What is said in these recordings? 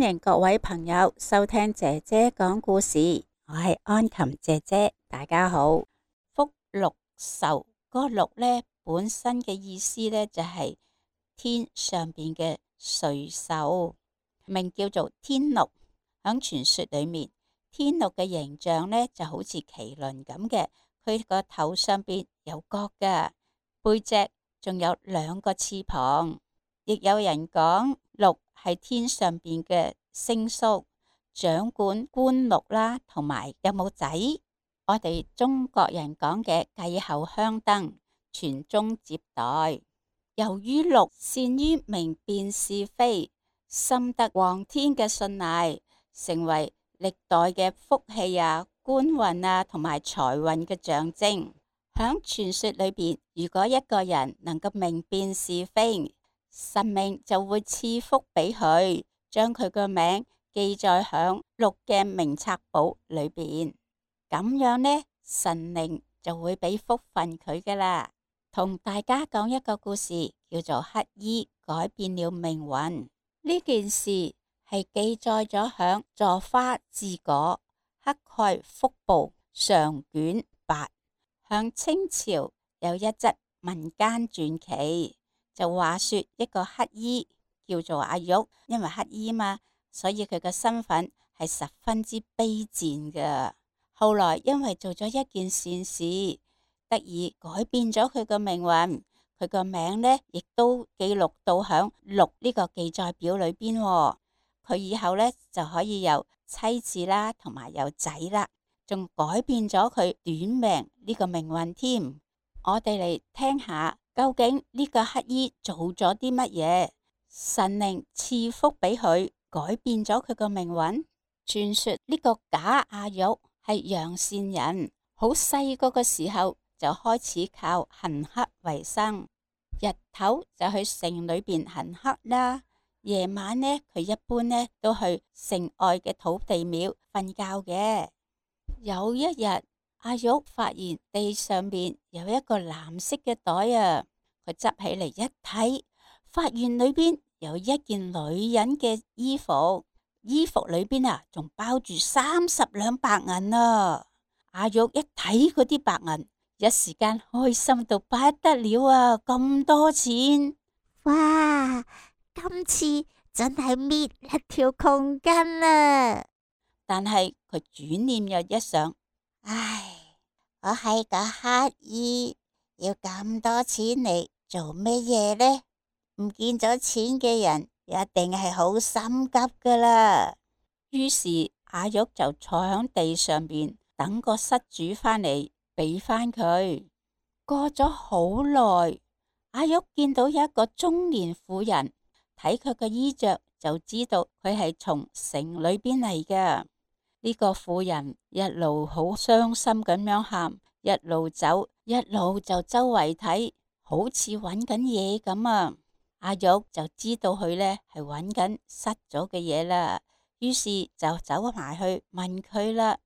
迎各位朋友收聽姐姐講故事，我係安琴姐姐，大家好。福祿壽嗰個祿呢，本身嘅意思呢，就係天上邊嘅瑞獸，名叫做天鹿。響傳說裏面，天鹿嘅形象呢就好似麒麟咁嘅，佢個頭上邊有角噶，背脊仲有2個翅膀。亦有人講鹿係天上邊嘅星宿，掌管官祿啦，同埋有冇仔。我哋中國人講嘅繼後香燈，傳宗接代。由於鹿善於明辨是非，深得皇天嘅信賴，成為歷代嘅福氣啊、官運啊同埋財運嘅象徵。響傳說裏邊，如果一個人能夠明辨是非，神明就會賜福俾佢，將佢個名記載響鹿嘅名冊簿裏邊。咁樣呢，神靈就會俾福分佢噶啦。同大家講一個故事，叫做乞衣改變了命運。呢件事係記載咗響《坐花志果乞丐福報》上卷8。響清朝有一則民間傳奇。就話說一個乞衣叫做阿玉，因為乞衣嘛，所以佢嘅身份係十分之卑賤嘅。後來因為做咗一件善事，得以改變咗佢嘅命運。佢個名呢亦都記錄到響祿呢個記載表裏邊。佢以後呢就可以有妻子啦，同埋有仔啦，仲改變咗佢短命呢個命運添。我哋嚟聽下。究竟呢個乞衣做咗啲乜嘢？神靈賜福俾佢，改變咗佢個命運。傳說呢個假阿玉係陽善人，好細個嘅時候就開始靠行乞為生。日頭就去城裏邊行乞啦，夜晚呢佢一般呢都去城外嘅土地廟瞓覺嘅。有一日，阿玉發現地上面有一個藍色嘅袋啊，佢執起嚟一睇，發現裏邊有一件女人嘅衣服，衣服裏邊啊仲包住30兩白銀啊！阿玉一睇嗰啲白銀，一時間開心到不得了啊！咁多錢，哇！今次真係搣一條窮筋啊！但係佢轉念又一想，唉，我係個乞衣，要咁多錢嚟做乜嘢呢？唔見咗錢嘅人一定係好心急噶啦。於是阿玉就坐喺地上邊等個失主返嚟俾返佢。過咗好耐，阿玉見到有一個中年婦人，睇佢個衣着就知道佢係從城裏邊嚟嘅。呢個婦人一路好傷心咁樣喊，一路走，一路就周圍睇，好似揾緊嘢咁啊！阿玉就知道佢呢係揾緊失咗嘅嘢啦，於是就走埋去問佢啦：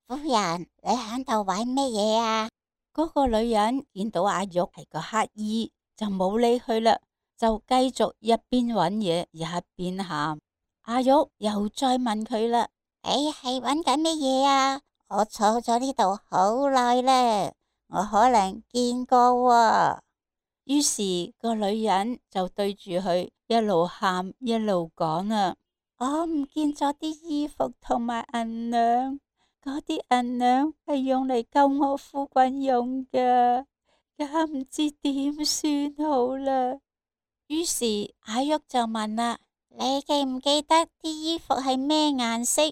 夫人，你喺度揾乜嘢啊？嗰個女人見到阿玉係個乞衣，就冇理佢啦，就繼續一邊揾嘢一邊喊。阿玉又再問佢啦。你係揾緊乜嘢啊？我坐咗呢度好耐啦，我可能見過喎。於是個女人就對住佢一路喊一路講啊：我唔見咗啲衣服同埋銀兩，嗰啲銀兩係用嚟救我夫君用嘅，而家唔知點算好啦。於是阿玉就問啦：你記唔記得啲衣服係咩顏色？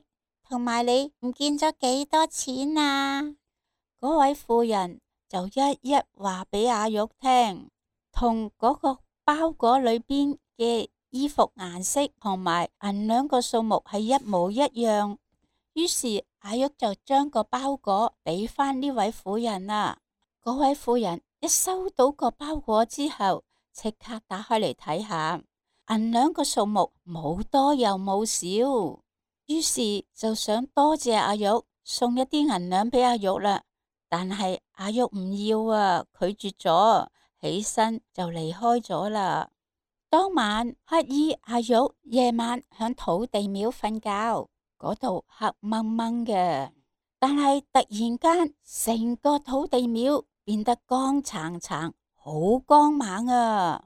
同埋你唔見咗幾多錢啊？嗰位婦人就一一話俾阿玉聽，同嗰個包裹裏邊嘅衣服顏色同埋銀兩個數目係一模一樣。於是阿玉就將個包裹俾返呢位婦人啦。嗰位婦人一收到個包裹之後，即刻打開嚟睇下，銀兩個數目冇多又冇少。於是就想多謝阿玉，送一啲銀兩俾阿玉啦。但係阿玉唔要啊，拒絕咗，起身就離開咗啦。當晚乞兒阿玉夜晚響土地廟瞓覺，嗰度黑掹掹嘅，但係突然間成個土地廟變得光燦燦，好光猛啊！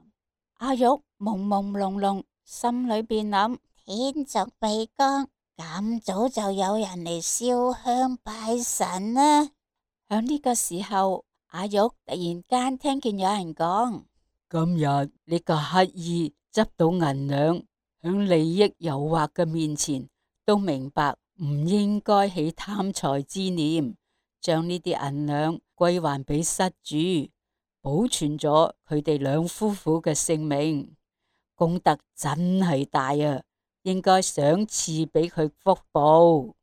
阿玉朦朦朧朧，心裏邊諗：天仲未光，咁早就有人嚟燒香拜神啦。響呢個時候，阿玉突然間聽見有人講：今日呢個乞兒執到銀兩，響利益誘惑嘅面前，都明白唔應該起貪財之念，將呢啲銀兩歸還俾失主，保存咗佢哋兩夫婦嘅性命，功德真係大啊！應該賞賜俾佢福報。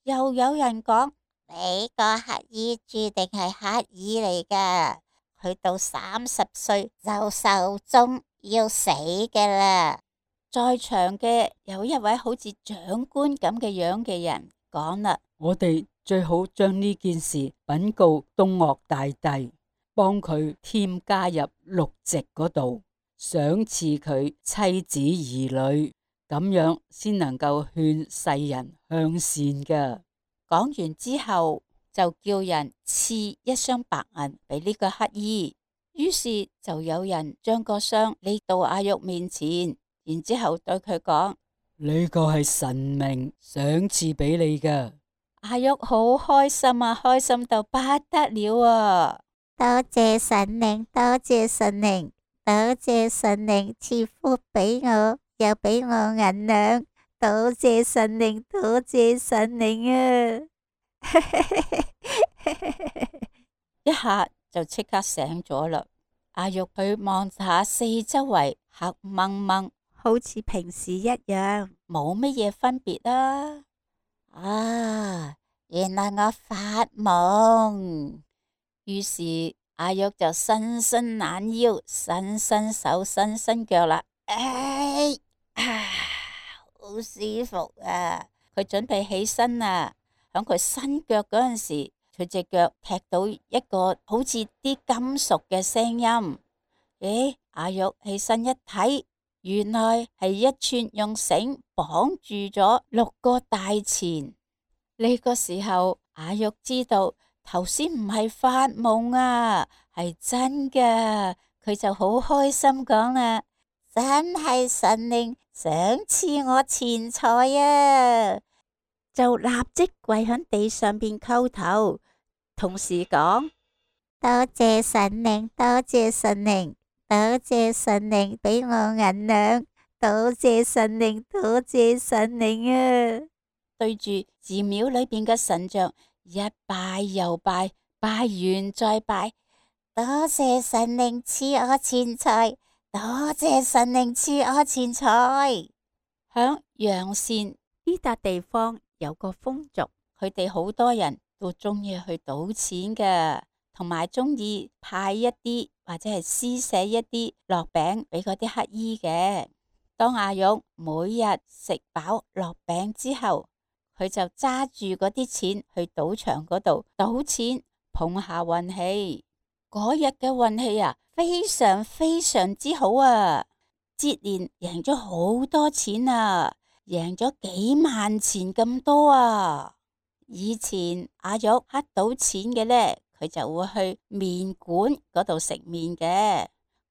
又有人講：你個乞兒注定係乞兒嚟噶，佢到30歲就壽終要死噶啦。在場嘅有一位好似長官咁嘅樣嘅人講啦：我哋最好將呢件事稟告東嶽大帝，幫佢添加入祿籍嗰度，賞賜佢妻子兒女，咁樣先能夠勸世人向善噶。講完之後，就叫人賜一箱白銀俾呢個乞兒。於是就有人將個箱拎到阿玉面前，然之後對佢講：呢個係神明賞賜俾你噶。阿玉好開心啊，開心到不得了啊！多謝神靈，多謝神靈，多謝神靈賜福俾我，又俾我銀兩，多謝神靈，多謝神靈啊！一下就即刻醒咗啦。阿玉佢望下四周圍黑掹掹，好似平時一樣，冇乜嘢分別啦。啊，原來我發夢。於是阿玉就伸伸懶腰，伸伸手，伸伸腳啦。哎啊，好舒服啊！佢準備起身啦，響佢伸腳嗰陣時，佢隻腳踢到一個好似啲金屬嘅聲音。咦，阿玉起身一睇，原來係一串用繩綁住咗6個大錢。呢個時候，阿玉知道頭先唔係發夢啊，係真㗎。佢就好開心講啦：真係神靈賞賜我錢財啊！就立即跪喺地上邊叩頭，同時講：多謝神靈，多謝神靈，多謝神靈俾我銀兩，多謝神靈，多謝神靈啊！對住寺廟裏邊嘅神像一拜又拜，拜完再拜。多謝神靈賜我錢財，多謝神靈賜我錢財。響陽善呢笪地方有個風俗，佢哋好多人都中意去賭錢嘅，同埋中意派一啲或者係施捨一啲落餅俾嗰啲乞兒嘅。當阿玉每日食飽落餅之後，佢就揸住嗰啲錢去賭場嗰度賭錢，碰下運氣。嗰日嘅運氣啊，非常非常之好啊！接連贏咗好多錢啊，贏咗幾萬錢咁多啊！以前阿玉乞到錢嘅呢，佢就會去麵館嗰度食麵嘅。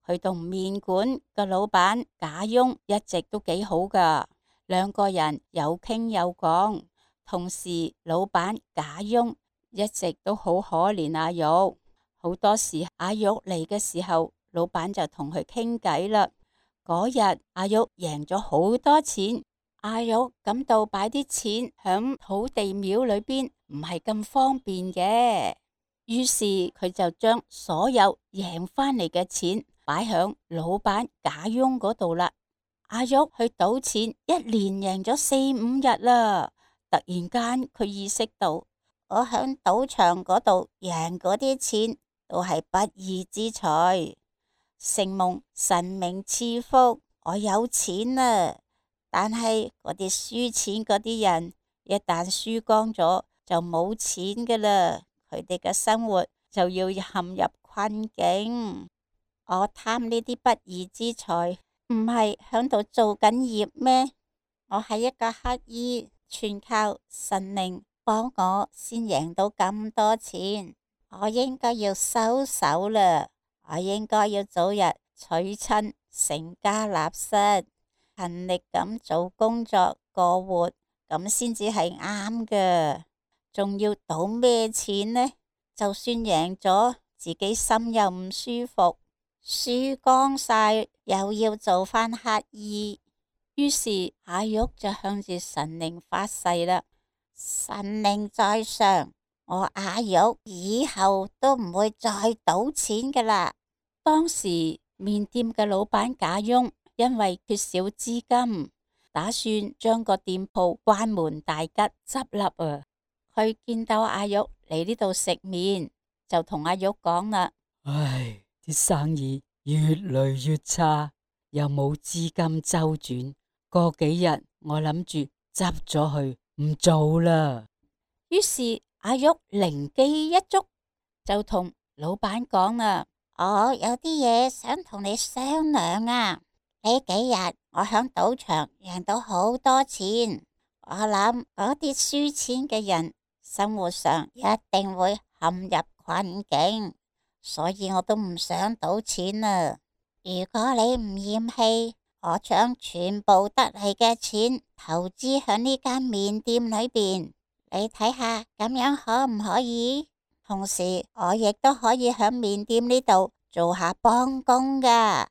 佢同麵館嘅老闆賈翁一直都幾好噶，兩個人有傾有講。同時，老闆賈翁一直都好可憐阿玉，好多時阿玉嚟嘅時候，老闆就同佢傾偈啦。嗰日阿玉贏咗好多錢，阿玉感到擺啲錢響土地廟裏邊唔係咁方便嘅，於是佢就將所有贏翻嚟嘅錢擺響老闆賈翁嗰度啦。阿玉去賭錢，一連贏咗4-5日啦。突然間佢意識到，我響賭場嗰度贏嗰啲錢都係不義之財，承蒙神明賜福，我有錢啦。但係嗰啲輸錢嗰啲人，一旦輸光咗就冇錢噶啦，佢哋嘅生活就要陷入困境。我貪呢啲不義之財，唔係響度做緊業咩？我係一個乞兒，全靠神靈幫我先贏到咁多錢，我應該要收手啦，我應該要早日娶親成家立室，勤力咁做工作過活，咁先至係啱㗎。仲要賭咩錢呢？就算贏咗，自己心又唔舒服，輸光晒又要做返乞兒。於是阿玉就向住神靈發誓啦：神靈在上，我阿玉以後都唔會再賭錢㗎啦。當時麵店嘅老闆賈翁因為缺少資金，打算將個店鋪關門大吉執笠啊！佢見到阿玉嚟呢度食麵，就同阿玉講啦：唉，啲生意越嚟越差，又冇資金周轉，過幾日我諗住執咗佢唔做啦。於是阿玉靈機一觸，就同老闆講啦：我有啲嘢想同你商量啊！呢幾日我響賭場贏到好多錢，我諗嗰啲輸錢嘅人生活上一定會陷入困境，所以我都唔想賭錢啊！如果你唔嫌棄，我將全部得嚟嘅錢投資響呢間麵店裏邊，你睇下咁樣可唔可以？同時我亦都可以響麵店呢度做下幫工噶。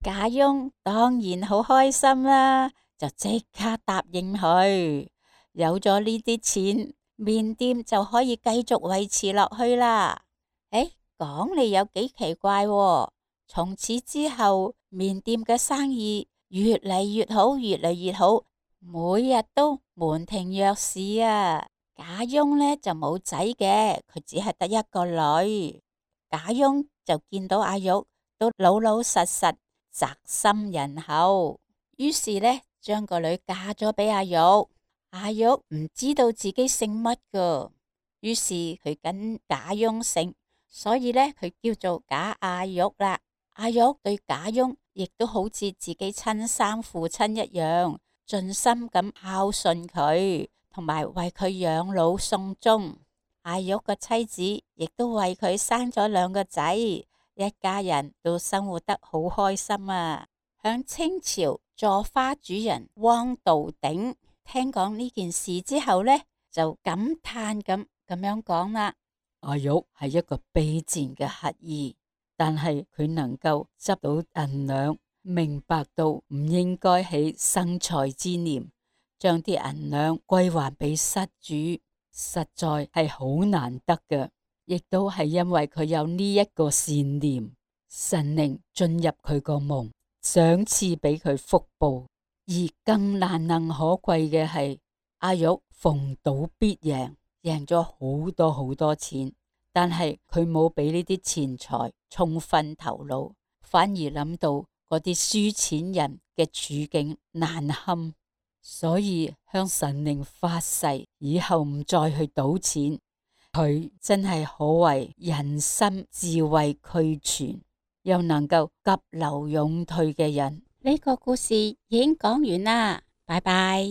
賈翁當然好開心啦，就即刻答應佢。有咗呢啲錢，麵店就可以繼續維持落去啦。講嚟有幾奇怪喎，從此之後，麵店嘅生意越嚟越好，越嚟越好，每日都門庭若市啊。賈翁呢就冇仔嘅，佢只係得一個女。賈翁就見到阿玉都老老實實，宅心仁厚，於是呢將個女嫁咗俾阿玉。阿玉唔知道自己姓乜噶，於是佢跟賈翁姓，所以呢佢叫做賈阿玉啦。阿玉對賈翁亦都好似自己親生父親一樣，盡心咁孝順佢，同埋為佢養老送終。阿玉個妻子亦都為佢生咗2個仔，一家人都生活得好開心啊！響清朝坐花主人汪道鼎聽講呢件事之後呢，就感嘆咁樣講啦：阿玉係一個卑賤嘅乞兒，但係佢能夠執到銀兩，明白到唔應該起生財之念，將啲銀兩歸還俾失主，實在係好難得嘅。亦都係因為佢有呢一個善念，神靈進入佢個夢，賞賜俾佢福報。而更難能可貴嘅係，阿玉逢賭必贏，贏咗好多好多錢，但係佢冇俾呢啲錢財沖昏頭腦，反而諗到嗰啲輸錢人嘅處境難堪，所以向神靈發誓以後唔再去賭錢。佢真係可謂人心智慧俱全，又能夠急流勇退嘅人。呢個故事已經講完啦，拜拜。